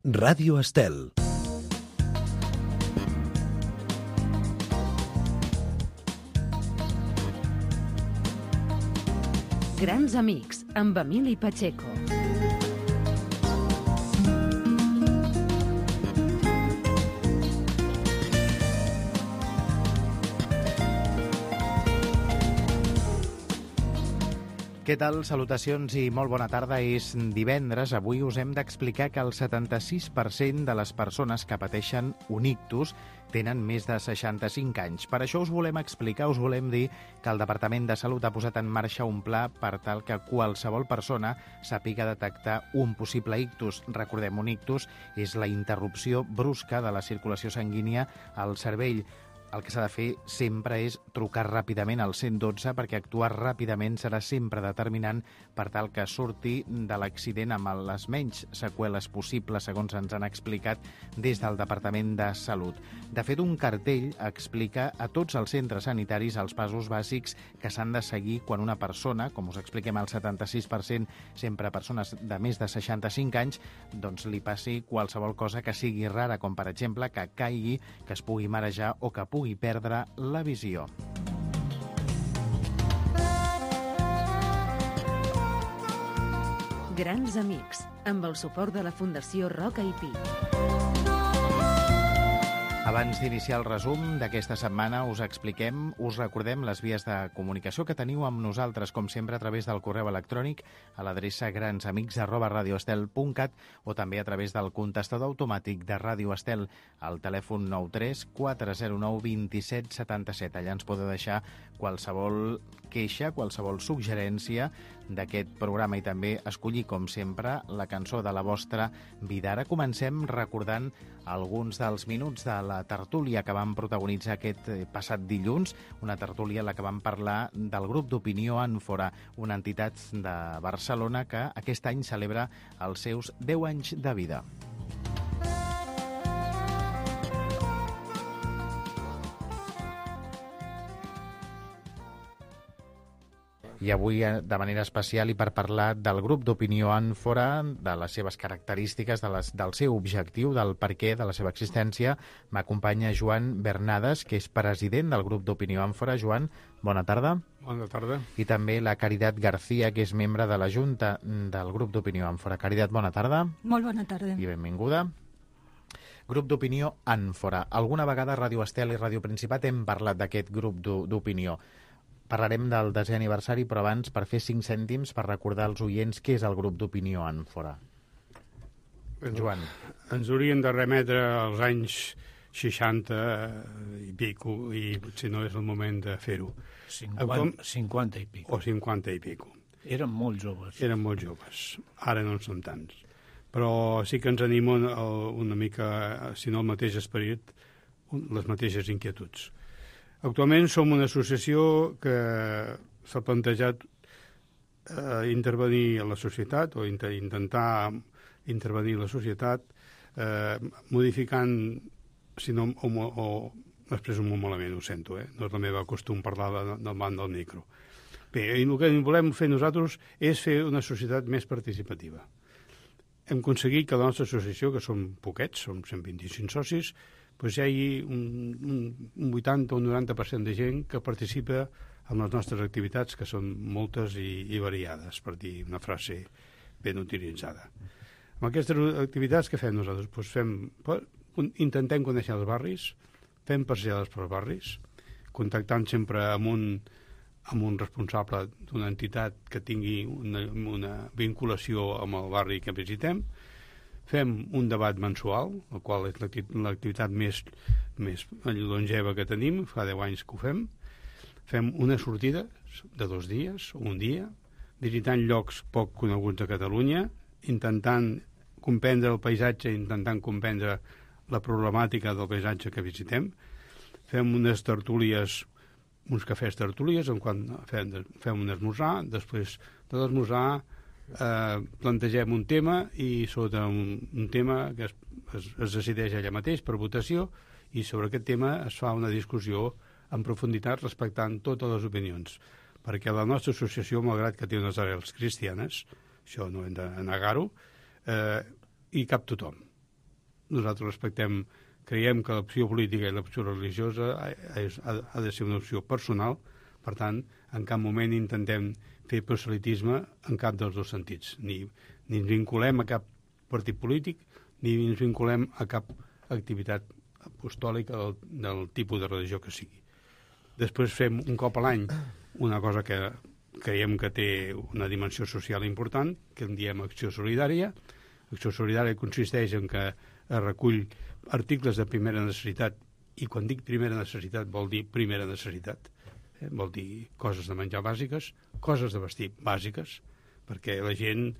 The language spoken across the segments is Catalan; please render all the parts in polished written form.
Ràdio Estel. Grans amics, amb Emili Pacheco. Què tal? Salutacions i molt bona tarda. És divendres. Avui us hem d'explicar que el 76% de les persones que pateixen un ictus tenen més de 65 anys. Per això us volem explicar, us volem dir que el Departament de Salut ha posat en marxa un pla per tal que qualsevol persona sàpiga detectar un possible ictus. Recordem, un ictus és la interrupció brusca de la circulació sanguínia al cervell. El que s'ha de fer sempre és trucar ràpidament al 112 perquè actuar ràpidament serà sempre determinant per tal que surti de l'accident amb les menys seqüeles possibles, segons ens han explicat des del Departament de Salut. De fet, un cartell explica a tots els centres sanitaris els passos bàsics que s'han de seguir quan una persona, com us expliquem, el 76% sempre persones de més de 65 anys, doncs li passi qualsevol cosa que sigui rara, com per exemple que caigui, que es pugui marejar o que pugui perdre la visió. Grans amics, amb el suport de la Fundació Roca i Pi. Abans d'iniciar el resum d'aquesta setmana us recordem les vies de comunicació que teniu amb nosaltres, com sempre, a través del correu electrònic a l'adreça gransamics@radioestel.cat o també a través del contestador automàtic de Ràdio Estel al telèfon 93 409 27 77. Allà ens podeu deixar qualsevol queixa, qualsevol suggerència d'aquest programa i també escollir, com sempre, la cançó de la vostra vida. Ara comencem recordant alguns dels minuts de la tertúlia que vam protagonitzar aquest passat dilluns, una tertúlia en la que vam parlar del grup d'opinió Ànfora, una entitat de Barcelona que aquest any celebra els seus 10 anys de vida. I avui, de manera especial, i per parlar del grup d'opinió Ànfora, de les seves característiques, del seu objectiu, del perquè de la seva existència, m'acompanya Joan Bernades, que és president del grup d'opinió Ànfora. Joan, bona tarda. Bona tarda. I també la Caritat García, que és membre de la Junta del grup d'opinió Ànfora. Caritat, bona tarda. Molt bona tarda. I benvinguda. Grup d'opinió Ànfora. Alguna vegada a Ràdio Estel i Ràdio Principat hem parlat d'aquest grup d'opinió. Parlarem del 10è aniversari, però abans, per fer 5 cèntims, per recordar als oients què és el grup d'opinió Ànfora. Joan. Ens haurien de remetre als anys 60 i pico, i potser no és el moment de fer-ho. 50 i pico. O 50 i pico. Eren molt joves. Eren molt joves. Ara no en són tants. Però sí que ens anima una mica, si no el mateix esperit, les mateixes inquietuds. Actualment som una associació que s'ha plantejat intervenir a la societat o intentar intervenir a la societat modificant, si no, o després molt malament, ho sento, no és el meu costum parlar davant del micro. Bé, el que volem fer nosaltres és fer una societat més participativa. Hem aconseguit que la nostra associació, que som poquets, som 125 socis, doncs hi hagi un 80 o un 90% de gent que participa en les nostres activitats, que són moltes i variades, per dir una frase ben utilitzada. Amb aquestes activitats, què fem nosaltres? Doncs intentem conèixer els barris, fem passejades pels barris, contactant sempre amb un responsable d'una entitat que tingui una vinculació amb el barri que visitem. Fem un debat mensual, el qual és l'activitat més longeva que tenim, fa 10 anys que ho fem. Fem una sortida de 2 dies, un dia, visitant llocs poc coneguts de Catalunya, intentant comprendre el paisatge, intentant comprendre la problemàtica del paisatge que visitem. Fem unes tertúlies, uns cafès tertúlies, en quan fem un esmorzar, després de l'esmorzar plantegem un tema i sota un tema que es decideix allà mateix per votació i sobre aquest tema es fa una discussió en profunditat respectant totes les opinions, perquè la nostra associació, malgrat que té unes arrels cristianes, això no hem de negar-ho, hi cap tothom. nosaltres creiem que l'opció política i l'opció religiosa ha de ser una opció personal, per tant, en cap moment intentem fer proselitisme en cap dels dos sentits. Ni ens vinculem a cap partit polític, ni ens vinculem a cap activitat apostòlica del tipus de religió que sigui. Després fem un cop a l'any una cosa que creiem que té una dimensió social important, que en diem Acció Solidària. Acció Solidària consisteix en que es recull articles de primera necessitat, i quan dic primera necessitat vol dir primera necessitat. Vol dir coses de menjar bàsiques, coses de vestir bàsiques, perquè la gent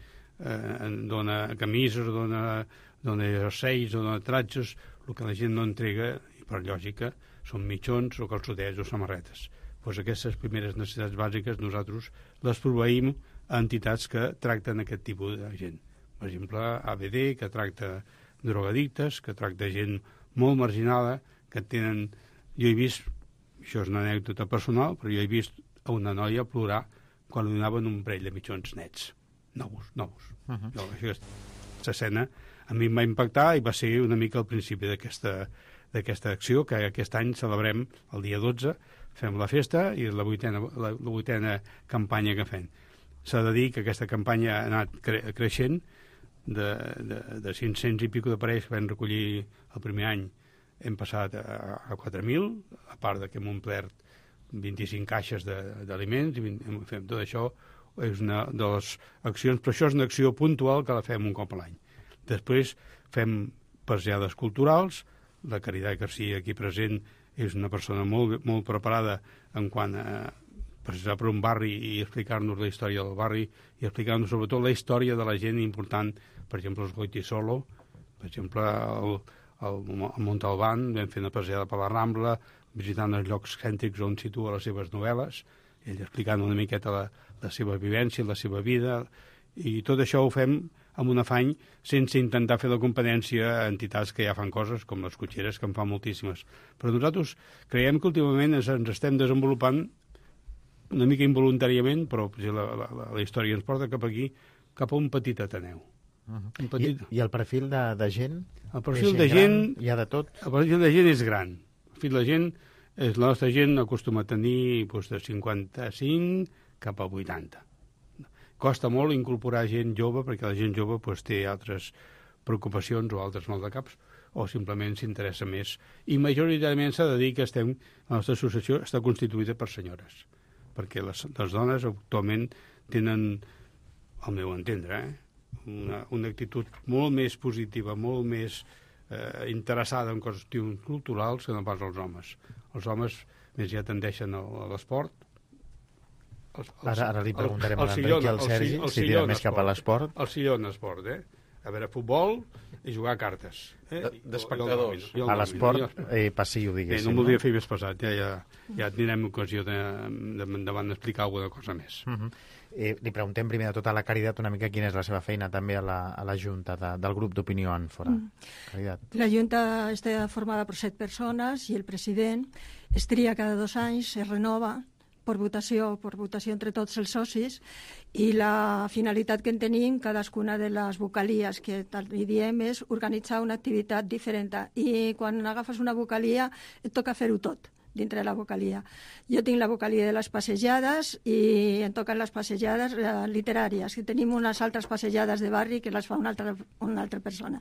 dona camises, dona jerseis, dona tratges, el que la gent no entrega, i per lògica, són mitjons o calçotets o samarretes. Doncs aquestes primeres necessitats bàsiques nosaltres les proveïm a entitats que tracten aquest tipus de gent. Per exemple, ABD, que tracta drogadictes, que tracta gent molt marginada, que tenen... Jo he vist, això és una anècdota personal, però jo he vist a una noia plorar quan li donaven un parell de mitjons nets, nous. Aquesta escena a mi em va impactar i va ser una mica el principi d'aquesta acció, que aquest any celebrem el dia 12, fem la festa i la vuitena campanya que fem. S'ha de dir que aquesta campanya ha anat creixent, de 500 i pico de parells que vam recollir el primer any hem passat a 4.000, a part que hem omplert 25 caixes d'aliments, i fem tot això. És una de les accions, però això és una acció puntual que la fem un cop a l'any. Després fem passejades culturals. La Caritat Garcia, aquí present, és una persona molt, molt preparada en quant a passejar per un barri i explicar-nos la història del barri i explicar-nos sobretot la història de la gent important, per exemple, els Goitisolo, per exemple, al Montalbán, vam fer una passejada per la Rambla, visitant els llocs cèntrics on situa les seves novel·les, ell explicant una miqueta la seva vivència, la seva vida, i tot això ho fem amb un afany sense intentar fer la competència a entitats que ja fan coses, com les cotxeres, que en fan moltíssimes. Però nosaltres creiem que últimament ens estem desenvolupant una mica involuntàriament, però la història ens porta cap aquí, cap a un petit Ateneu. I el perfil de gent? El perfil de gent... Hi ha de tot? El perfil de gent és gran. El perfil de gent la nostra gent acostuma a tenir de 55 cap a 80. Costa molt incorporar gent jove, perquè la gent jove té altres preocupacions o altres maldecaps, o simplement s'interessa més. I majoritàriament s'ha de dir que la nostra associació està constituïda per senyores, perquè les dones actualment tenen, al meu entendre, una actitud molt més positiva, molt més interessada en qüestions culturals que no pas els homes. Els homes més ja tendeixen a l'esport. Ara li preguntarem a l'Enric i al Sergi si tira més cap a l'esport. El sillon esport, a veure, futbol i jugar a cartes. D'espectadors. A l'esport passiu, diguéssim. No em voldria fer més pesat, ja tindrem ocasió d'endavant d'explicar alguna cosa més. Li preguntem primer de tot a la Caritat una mica quina és la seva feina també a la Junta del grup d'opinió Ànfora. Caritat. La Junta està formada per 7 persones i el president es tria cada 2 anys, es renova per votació entre tots els socis, i la finalitat que en tenim cadascuna de les vocalies que tal li diem és organitzar una activitat diferent, i quan agafes una vocalia et toca fer-ho tot dintre de la vocalia. Jo tinc la vocalia de les passejades i em toquen les passejades literàries, que tenim unes altres passejades de barri que les fa una altra persona.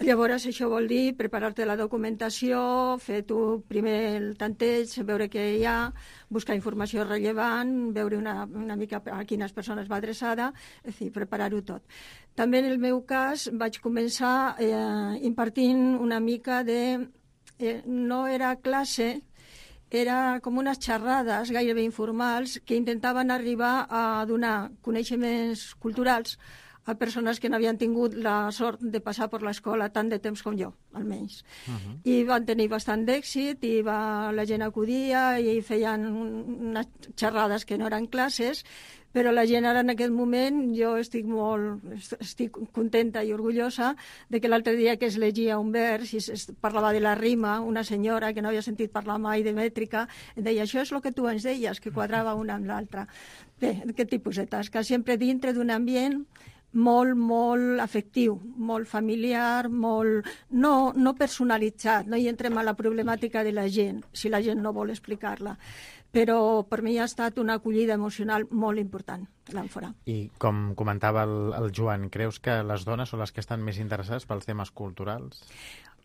Llavors, això vol dir preparar-te la documentació, fer tu primer el tanteig, veure què hi ha, buscar informació rellevant, veure una mica a quines persones va adreçada, és a dir, preparar-ho tot. També en el meu cas vaig començar impartint una mica de... no era classe, era com unes xerrades gairebé informals que intentaven arribar a donar coneixements culturals a persones que no havien tingut la sort de passar per l'escola tant de temps com jo, almenys. I van tenir bastant d'èxit, i la gent acudia i feien unes xerrades que no eren classes, però la gent ara en aquest moment, jo estic contenta i orgullosa de que l'altre dia que es llegia un vers i es parlava de la rima, una senyora que no havia sentit parlar mai de mètrica, deia, això és el que tu ens deies, que quadrava una amb l'altra. Bé, aquest tipus de tasca, sempre dintre d'un ambient molt afectiu, molt familiar, molt no personalitzat, no hi entrem a la problemàtica de la gent, si la gent no vol explicar-la. Però per mi ha estat una acollida emocional molt important, l'Àmfora. I com comentava el Joan, creus que les dones són les que estan més interessades pels temes culturals?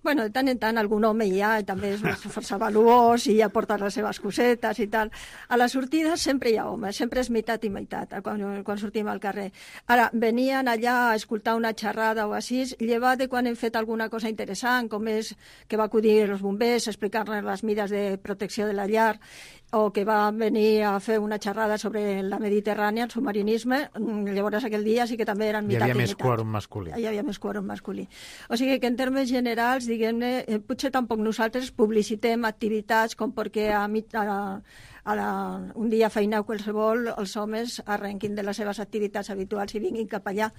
Bueno, de tant en tant algun home hi ha, també és força valuós i ja porta les seves cosetes i tal. A la sortida sempre hi ha homes, sempre és meitat i meitat, quan sortim al carrer. Ara, venien allà a escoltar una xerrada o així, llevat de quan hem fet alguna cosa interessant, com és que va acudir els bombers a explicar-nos les mides de protecció de la llar, o que va venir a fer una xerrada sobre la Mediterrània, el submarinisme. Llavors aquell dia sí que també eren meitat i meitat. Hi havia més quòrum masculí. Hi havia més quòrum masculí. O sigui que en termes generals, diguem-ne, potser tampoc nosaltres publicitem activitats com perquè un dia feineu qualsevol, els homes arrenquin de les seves activitats habituals i vinguin cap allà,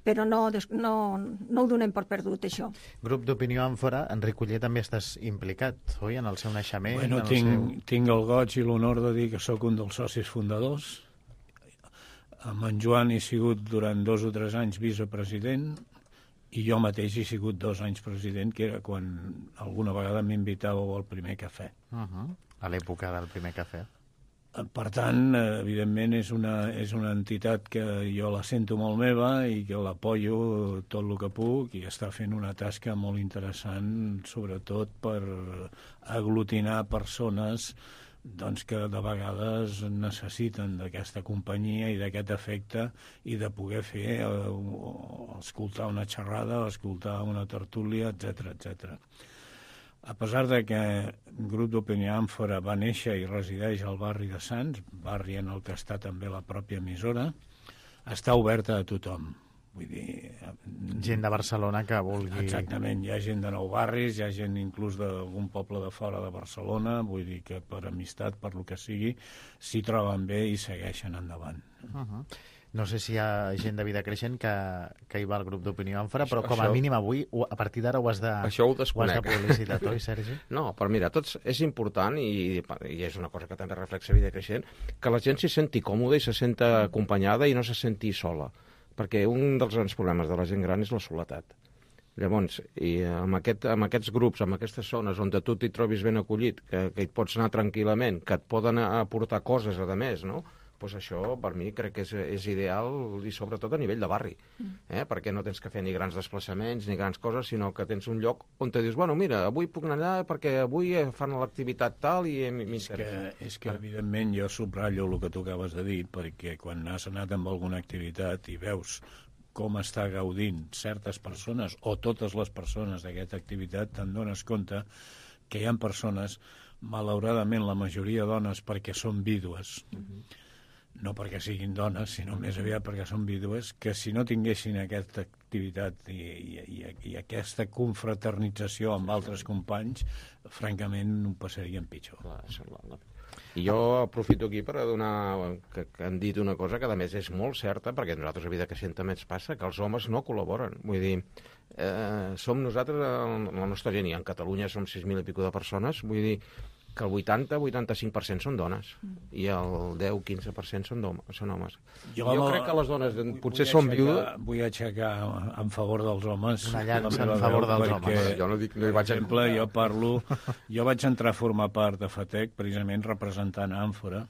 però no ho donem per perdut, això. Grup d'Opinió Àmfora, Enric Oller, també estàs implicat, oi, en el seu naixement? Bueno, tinc el goig i l'honor de dir que sóc un dels socis fundadors. Amb en Joan he sigut durant 2 o 3 anys vicepresident i jo mateix he sigut 2 anys president, que era quan alguna vegada m'invitàveu al primer cafè. A l'època del primer cafè. Per tant, evidentment, és una entitat que jo la sento molt meva i que l'apoyo tot el que puc i està fent una tasca molt interessant, sobretot per aglutinar persones doncs, que de vegades necessiten d'aquesta companyia i d'aquest efecte i de poder fer, escoltar una xerrada, escoltar una tertúlia, etc. A pesar de que el grup d'Opinió Àmfora va néixer i resideix al barri de Sants, barri en el que està també la pròpia emissora, està oberta a tothom. Vull dir, gent de Barcelona que vulgui... Exactament, hi ha gent de nou barris, hi ha gent inclús d'algun poble de fora de Barcelona, vull dir que per amistat, per lo que sigui, s'hi troben bé i segueixen endavant. No sé si hi ha gent de Vida Creixent que hi va al grup d'Opinió Àmfora, però com a mínim avui, a partir d'ara ho has de publicitar, oi, Sergi? No, però mira, és important, i és una cosa que també reflexa Vida Creixent, que la gent s'hi senti còmoda i se senta acompanyada i no se senti sola, perquè un dels grans problemes de la gent gran és la soledat. Llavors, i amb aquests grups, amb aquestes zones on tu t'hi trobis ben acollit, que hi pots anar tranquil·lament, que et poden aportar coses, a més, no?, doncs això per mi crec que és ideal i sobretot a nivell de barri, perquè no tens que fer ni grans desplaçaments ni grans coses, sinó que tens un lloc on te dius, bueno, mira, avui puc anar allà perquè avui fan l'activitat tal i m'interessa. És que evidentment jo subratllo el que tu acabes de dir, perquè quan has anat amb alguna activitat i veus com està gaudint certes persones o totes les persones d'aquesta activitat, te'n dones compte que hi ha persones, malauradament la majoria dones perquè són vídues, no perquè siguin dones, sinó més aviat perquè són vídues, que si no tinguessin aquesta activitat i aquesta confraternització amb altres companys, francament ho passarien pitjor. I jo aprofito aquí per donar que han dit una cosa que a més és molt certa, perquè nosaltres a Vida Creixent també ens passa, que els homes no col·laboren. Vull dir, som nosaltres, la nostra gent, i en Catalunya som 6.000 i pico de persones, vull dir que el 80-85% són dones i el 10-15% són homes. Jo crec que les dones potser són viudes... Vull aixecar en favor dels homes. Una llança en favor dels homes. Jo no dic, no hi vaig... Per exemple, jo vaig entrar a formar part de FATEC, precisament representant Àmfora,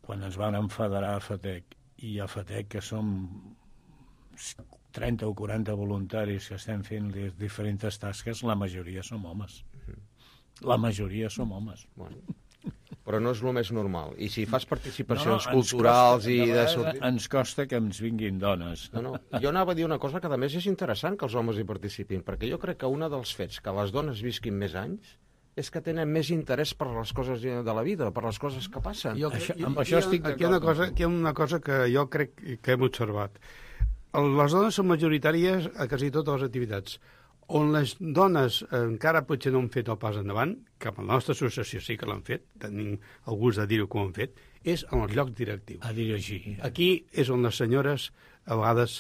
quan ens van enfederar a FATEC. I a FATEC, que som 30 o 40 voluntaris que estem fent les diferents tasques, la majoria som homes. La majoria som homes. Bueno, però no és el més normal. I si fas participacions culturals i de sortir... Ens costa que ens vinguin dones. No. Jo anava a dir una cosa que a més és interessant que els homes hi participin, perquè jo crec que un dels fets que les dones visquin més anys és que tenen més interès per les coses de la vida, per les coses que passen. Amb això estic d'acord. Aquí hi ha una cosa que jo crec que hem observat. Les dones són majoritàries a quasi totes les activitats. On les dones encara potser no han fet el pas endavant, que amb la nostra associació sí que l'han fet, tenim el gust de dir-ho que ho han fet, és en els llocs directius. A dirigir. Aquí és on les senyores, a vegades,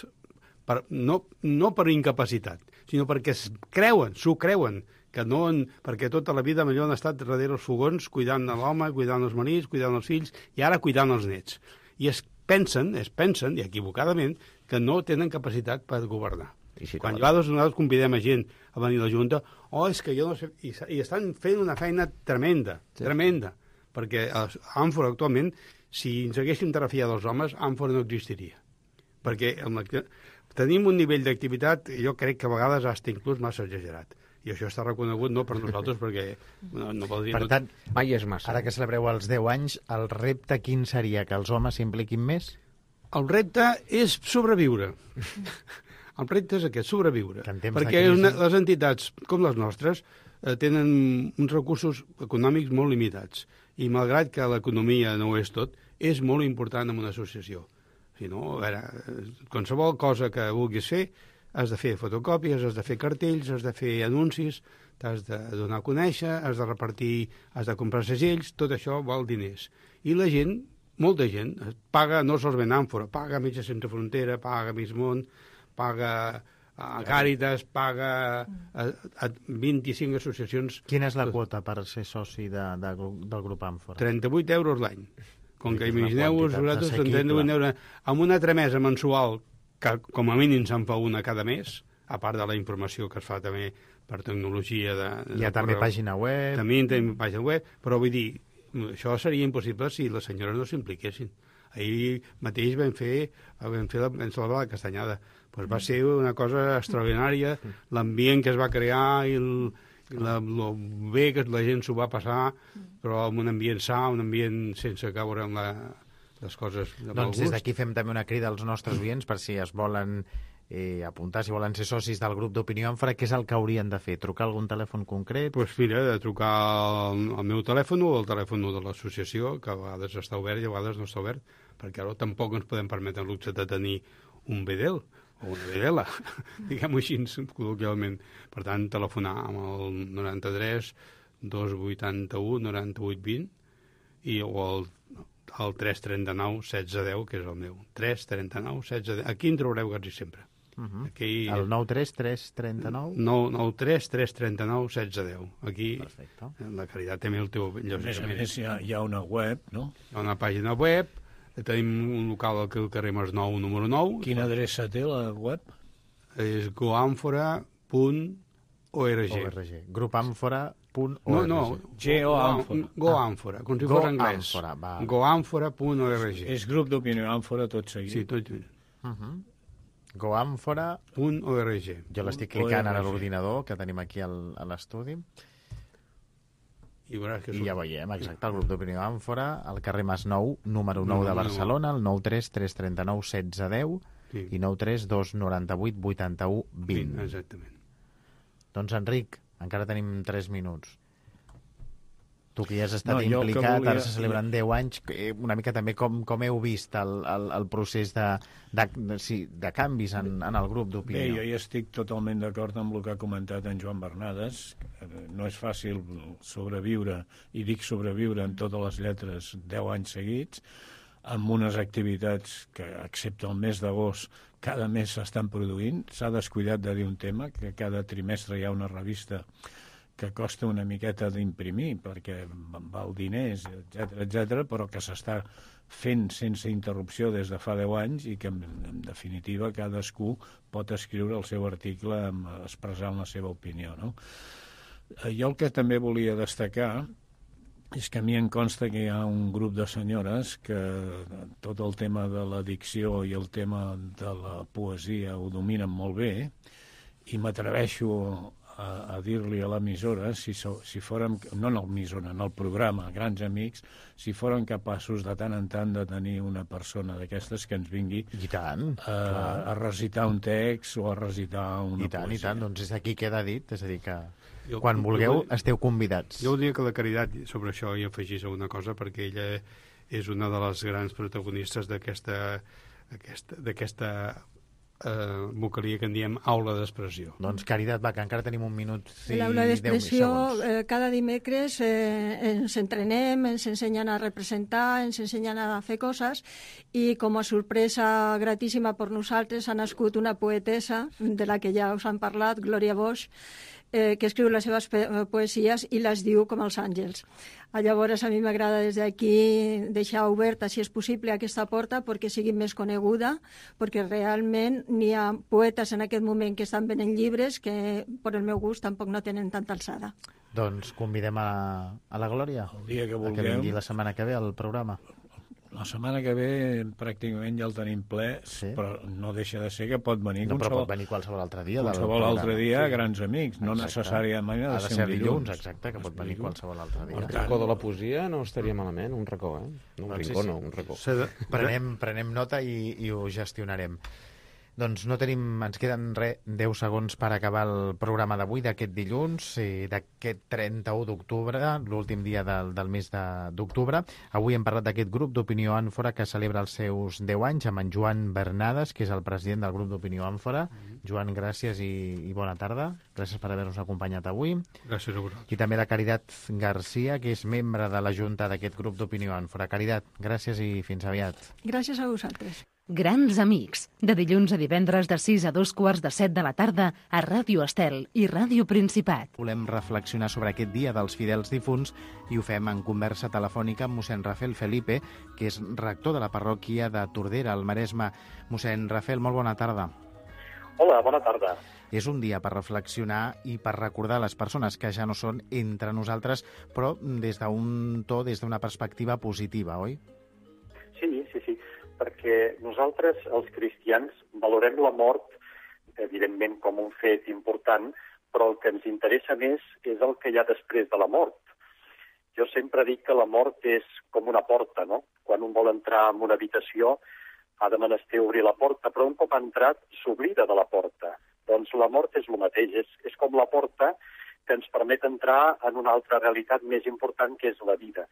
no per incapacitat, sinó perquè s'ho creuen, perquè tota la vida millor han estat darrere els fogons, cuidant de l'home, cuidant els marits, cuidant els fills, i ara cuidant els nets. I es pensen, i equivocadament, que no tenen capacitat per governar. I si Quan nosaltres convidem a gent a venir a la Junta, és que jo no sé... I estan fent una feina tremenda, tremenda, perquè a Àmfora actualment, si ens haguéssim trafiat dels homes, Àmfora no existiria. Perquè tenim un nivell d'activitat, jo crec que a vegades hasta inclús massa exagerat. I això està reconegut no per nosaltres, perquè no vol dir... Per tant, mai és massa. Ara que celebreu els 10 anys, el repte quin seria? Que els homes s'impliquin més? El repte és sobreviure. El repte és aquest, sobreviure. Perquè les entitats com les nostres tenen uns recursos econòmics molt limitats. I malgrat que l'economia no ho és tot, és molt important en una associació. Si no, a veure, qualsevol cosa que vulguis fer, has de fer fotocòpies, has de fer cartells, has de fer anuncis, t'has de donar a conèixer, has de repartir, has de comprar segells, tot això val diners. I la gent, molta gent, paga no solament Àmfora, paga Metges Sense Frontera, paga Miss Món, paga a Càritas, paga a 25 associacions. Quina és la quota per ser soci del grup Àmfora? 38 euros l'any. Com que imagineu-vos, vosaltres, 38 euros, amb una tramesa mensual, que com a mínim se'n fa una cada mes, a part de la informació que es fa també per tecnologia Hi ha també pàgina web. També tenim pàgina web, però vull dir, això seria impossible si les senyores no s'impliquessin. Ahir mateix vam celebrar la castanyada. Pues va ser una cosa extraordinària, l'ambient que es va crear i el bé que la gent s'ho va passar, però amb un ambient sa, un ambient sense caure en les coses de mal gust. Doncs des d'aquí fem també una crida als nostres oients per si es volen apuntar, si volen ser socis del grup d'Opinió Àmfora, què és el que haurien de fer? Trucar algun telèfon concret? Doncs mira, de trucar al meu telèfon o al telèfon de l'associació, que a vegades està obert i a vegades no està obert, perquè ara tampoc ens podem permetre el luxe de tenir un bedel o una bedela, diguem-ho així col·loquialment. Per tant, telefonar amb el 93 281 98 20 o el 339 1610, que és el meu. 339 1610. Aquí en trobareu quasi sempre. Aquí... El 93 339? 93 339 1610. Aquí, perfecte. La Caritat també el teu... A més, hi ha una web, no? Hi ha una pàgina web, tenim un local al carrer Masnou, número 9. Quina adreça té la web? És goamfora.org. Grupamfora.org. No, Goamfora, com si fos anglès. Goamfora.org. És grup d'Opinió Àmfora tot seguit. Sí, tot seguit. Goamfora.org. Jo l'estic clicant ara a l'ordinador que tenim aquí a l'estudi. I ja veiem, exacte, el grup d'Opinió Àmfora, al carrer Masnou, número 9 de Barcelona, el 93 339 1610 i 93 298 81 20. Exactament. Doncs, Enric, encara tenim 3 minuts. Tu que ja has estat implicat, ara se celebren 10 anys, una mica també com heu vist el procés de canvis en el grup d'Opinió? Bé, jo ja estic totalment d'acord amb el que ha comentat en Joan Bernades. No és fàcil sobreviure, i dic sobreviure en totes les lletres 10 anys seguits, amb unes activitats que, excepte el mes d'agost, cada mes s'estan produint. S'ha descuidat de dir un tema, que cada trimestre hi ha una revista que costa una miqueta d'imprimir perquè val diners, etc, però que s'està fent sense interrupció des de fa 10 anys i que, en definitiva, cadascú pot escriure el seu article expressant la seva opinió, no? Jo el que també volia destacar és que a mi em consta que hi ha un grup de senyores que tot el tema de la dicció i el tema de la poesia ho dominen molt bé, i m'atreveixo a dir-li a l'emissora, si fórem, no en l'emissora, en el programa Grans Amics, si fórem capaços de tant en tant de tenir una persona d'aquestes que ens vingui a recitar un text o a recitar una poesia. I tant, doncs és aquí queda dit, és a dir que quan vulgueu esteu convidats. Jo voldria que la Caritat sobre això hi afegís alguna cosa, perquè ella és una de les grans protagonistes d'aquesta vocalia que en diem aula d'expressió. Doncs Caritat, va, que encara tenim un minut i l'aula 10 segons. Cada dimecres ens entrenem, ens ensenyen a representar, ens ensenyen a fer coses, i com a sorpresa gratíssima per nosaltres ha nascut una poetessa de la que ja us han parlat, Glòria Bosch, que escriu les seves poesies i les diu com els àngels. Llavors, a mi m'agrada des d'aquí deixar oberta, si és possible, aquesta porta perquè sigui més coneguda, perquè realment n'hi ha poetes en aquest moment que estan venent llibres que, per el meu gust, tampoc no tenen tanta alçada. Doncs convidem a la Glòria El dia que vulgueu. que vingui la setmana que ve al programa. La setmana que ve pràcticament ja el tenim ple, Sí. però no deixa de ser que pot venir No, però pot venir qualsevol altre dia. del qualsevol programa. altre dia, grans amics, no Exacte. necessàriament Ha de ser dilluns, dilluns. exacte, que pot venir qualsevol altre dia. El racó de la poesia no estaria malament, un racó, eh? No un Doncs sí, rincó, sí. no, un racó. Prenem nota i ho gestionarem. Doncs no tenim, ens queden 10 segons per acabar el programa d'avui, d'aquest dilluns, d'aquest 31 d'octubre, l'últim dia del mes d'octubre. Avui hem parlat d'aquest grup d'Opinió Àmfora que celebra els seus 10 anys amb en Joan Bernades, que és el president del grup d'Opinió Àmfora. Joan, gràcies i bona tarda. Gràcies per haver-nos acompanyat avui. Gràcies a vosaltres. I també la Caritat Garcia, que és membre de la Junta d'aquest grup d'Opinió Àmfora. Caritat, gràcies i fins aviat. Gràcies a vosaltres. Grans amics, de dilluns a divendres de 6 a 2:45 de la tarda a Ràdio Estel i Ràdio Principat. Volem reflexionar sobre aquest dia dels fidels difunts i ho fem en conversa telefònica amb mossèn Rafael Felipe, que és rector de la parròquia de Tordera, al Maresme. Mossèn Rafael, molt bona tarda. Hola, bona tarda. És un dia per reflexionar i per recordar les persones que ja no són entre nosaltres, però des d'un to, des d'una perspectiva positiva, oi? Sí, perquè nosaltres, els cristians, valorem la mort, evidentment, com un fet important, però el que ens interessa més és el que hi ha després de la mort. Jo sempre dic que la mort és com una porta, no? Quan un vol entrar en una habitació ha de menester obrir la porta, però un cop ha entrat s'oblida de la porta. Doncs la mort és el mateix, és com la porta que ens permet entrar en una altra realitat més important, que és la vida.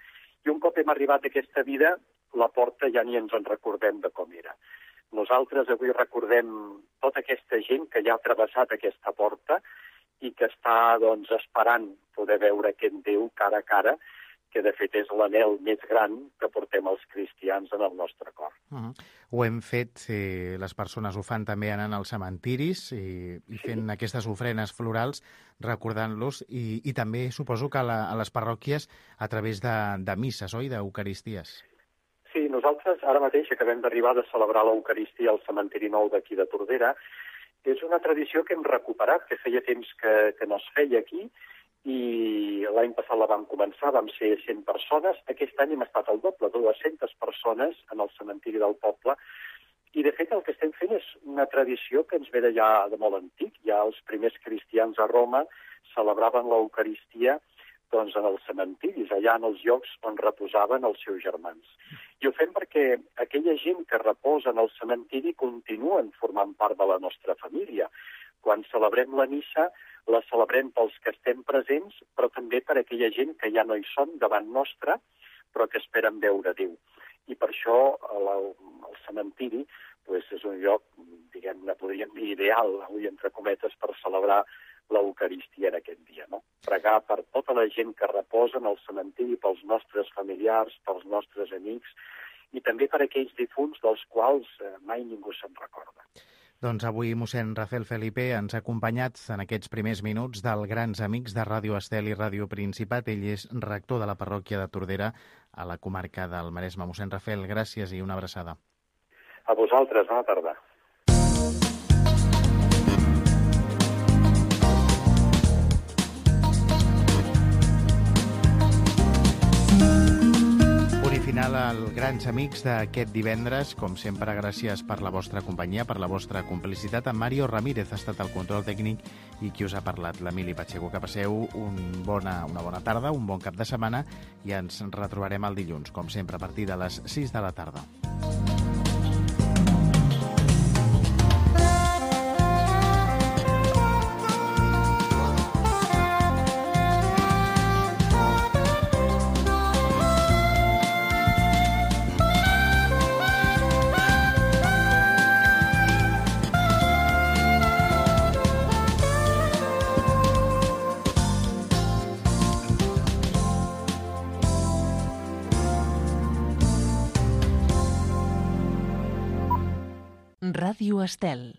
I un cop hem arribat a aquesta vida, la porta ja ni ens en recordem de com era. Nosaltres avui recordem tota aquesta gent que ja ha travessat aquesta porta i que està, doncs, esperant poder veure aquest Déu cara a cara, que de fet és l'anhel més gran que portem els cristians en el nostre cor. Ho hem fet, les persones ho fan també anant als cementiris i fent aquestes ofrenes florals, recordant-los, i també suposo que a les parròquies a través de misses, oi?, d'eucaristies. Sí, nosaltres ara mateix acabem d'arribar de celebrar l'Eucaristia al cementiri nou d'aquí de Tordera. És una tradició que hem recuperat, que feia temps que no es feia aquí, i l'any passat la vam començar, vam ser 100 persones. Aquest any hem estat al doble, 200 persones en el cementiri del poble. I, de fet, el que estem fent és una tradició que ens ve de ja de molt antic. Ja els primers cristians a Roma celebraven l'Eucaristia doncs, en els cementiris, allà en els llocs on reposaven els seus germans. I ho fem perquè aquella gent que reposa en el cementiri continuen formant part de la nostra família. Quan celebrem la missa, la celebrem pels que estem presents, però també per aquella gent que ja no hi són davant nostra, però que esperen veure Déu. I per això el cementiri és un lloc, diguem-ne, podríem dir ideal, avui entre cometes, per celebrar l'Eucaristia en aquest dia, no? Pregar per tota la gent que reposa en el cementiri, pels nostres familiars, pels nostres amics, i també per aquells difunts dels quals mai ningú se'n recorda. Doncs avui mossèn Rafael Felipe ens ha acompanyat en aquests primers minuts del Grans Amics de Ràdio Estel i Ràdio Principat. Ell és rector de la parròquia de Tordera, a la comarca del Maresme. Mossèn Rafael, gràcies i una abraçada. A vosaltres, bona tarda. Final als Grans Amics d'aquest divendres. Com sempre, gràcies per la vostra companyia, per la vostra complicitat. En Mario Ramírez ha estat el control tècnic i qui us ha parlat, l'Emili Pacheco. Que passeu una bona tarda, un bon cap de setmana i ens retrobarem el dilluns, com sempre, a partir de les 6 de la tarda. Ràdio Estel.